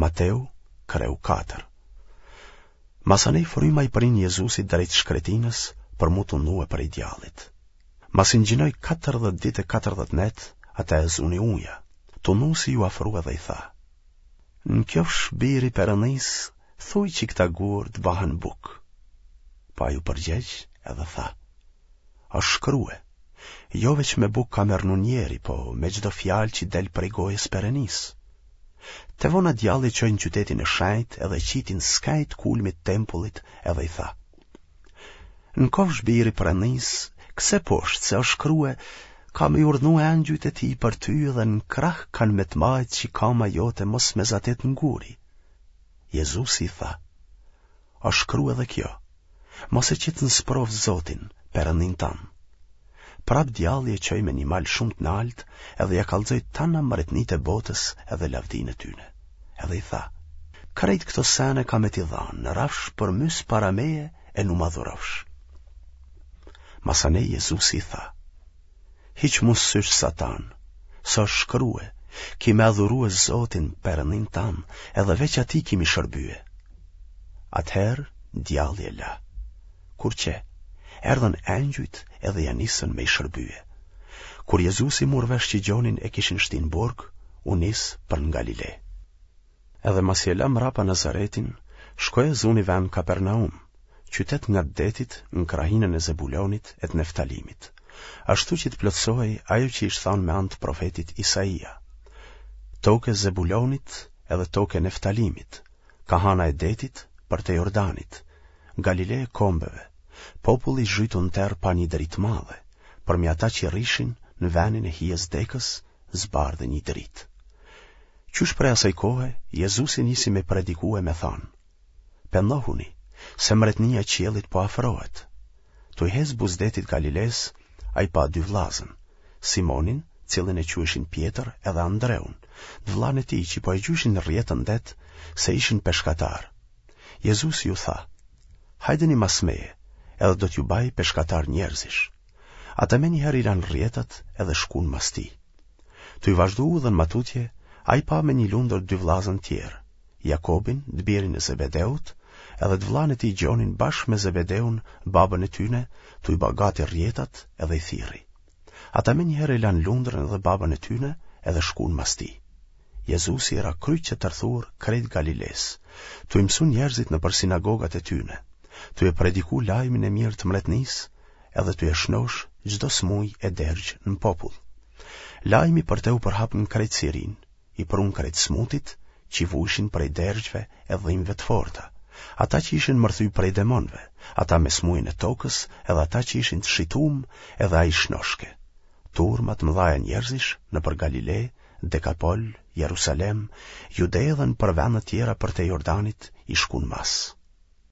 Mateu, kreu 4. Masanej fryma i prin Jezusit drejt shkretinës për m'u tundue prej djallit. Masi ngjinoi 40 ditë e 40 net, atë e zuni uja. Tundusi iu afrua dhe i tha: Në kjofsh bir i Perëndisë, thuj që këta gurë të bahen bukë. Po ai u përgjegj edhe tha: Është shkrue, jo veç me bukë ka me rrnu njeri, po me çdo fjalë që del prej gojës Perënisë. Tevona djalli e çoi në qytetin e shenjtë edhe e qiti në skaj të kulmit tempullit edhe i tha: Në kofsh bir i Perëndisë, kce poshtë se është shkrue, ka me i urdhnu engjujt e tij për ty dhe në krah kanë me të majtë që kama jote mos me zatit në guri. Jezusi i tha, është shkrue edhe kjo, mos e qit në sprovë Zotin, Perëndinë tand. Prapë djalli e çoi me një mal shumë të naltë edhe ia kallxoi tana mretnitë e botës edhe lavdinë e tyne. Edhe i tha, krejt këto sene kam me t'i dhanë, në rafsh përmys para meje e n'u m'adhurofsh. Masanej Jezusi i tha, hiq mu sysh satan, se është shkrue, ki me adhurue Zotin Perëndinë tand, edhe veç atij ki m'i shërbye. Atëherë, djalli e la. Kur qe, erdhën engjujt edhe ia nisën me i shërbye. Kur Jezusi mur vesh që Gjonin e kishin shti në burg, u nis për në Galile. Edhe masi e la mrapa Nazaretin, shkoi e zuni ven Kapernaum, qytet ngat detit në krahinën e Zebulonit e të Neftalimit, ashtu që të plotësohej ajo që ish thanë me anë të profetit Isaia. Tokë e Zebulonit edhe tokë e Neftalimit, kah ana e detit përtej Jordanit, Galile e kombeve, populli i zhytun në terr pa një dritë të madhe, përmi ata që rrishin në venin e hijes dekës, zbardhi një dritë. Qysh prej asaj kohe, Jezusi nisi me prediku e me thanë, Pendohuni, se mretnia e qiellit po afrohet. Tuj hecë buzë detit Galilesë, ai pa dy vllazën, Simonin, cilin e quajshin Pjetër edhe Andreun, të vllanë e tij që po e gjujshin rrjetën në det, se ishin peshkatarë. Jezusi ju tha, Hajdeni mas meje, edhe do t'ju baj peshkatarë njerëzish. Ata menjëherë i lanë rrjetat edhe shkuan mas tij. Tuj vazhdu udhën ma tutje, ai pa me një lundër dy vllazën tjerë, Jakobin, të birin e Zebedeut, edhe të vllanë e tij Gjonin bashkë me Zebedeun, babën e tyne, tuj ba gati rrjetat edhe i thirri. Ata menjëherë e lanë lundrën edhe babën e tyne edhe shkuan mas tij. Jezusi i ra kryq e tërthur krejt Galilesë, tuj mësu njerëzit nëpër sinagogat e tyne, tuj e prediku lajmin e mirë të mretnisë edhe tuj e shnosh çdo smuj e dergj në popull. Lajmi për te u përhap në krejt Sirinë, i prunë krejt smutit, që vujshin prej dergjve e dhimbve të forta, ata që ishin mërthy prej demonve, ata me smujën e tokës, edhe ata që ishin të shitum, edhe ai i shnoshke. Turma të mëdhaja njerëzish nëpër Galile, Dekapol, Jerusalem, Jude dhe nëpër vende tjera përtej Jordanit i shkun mas.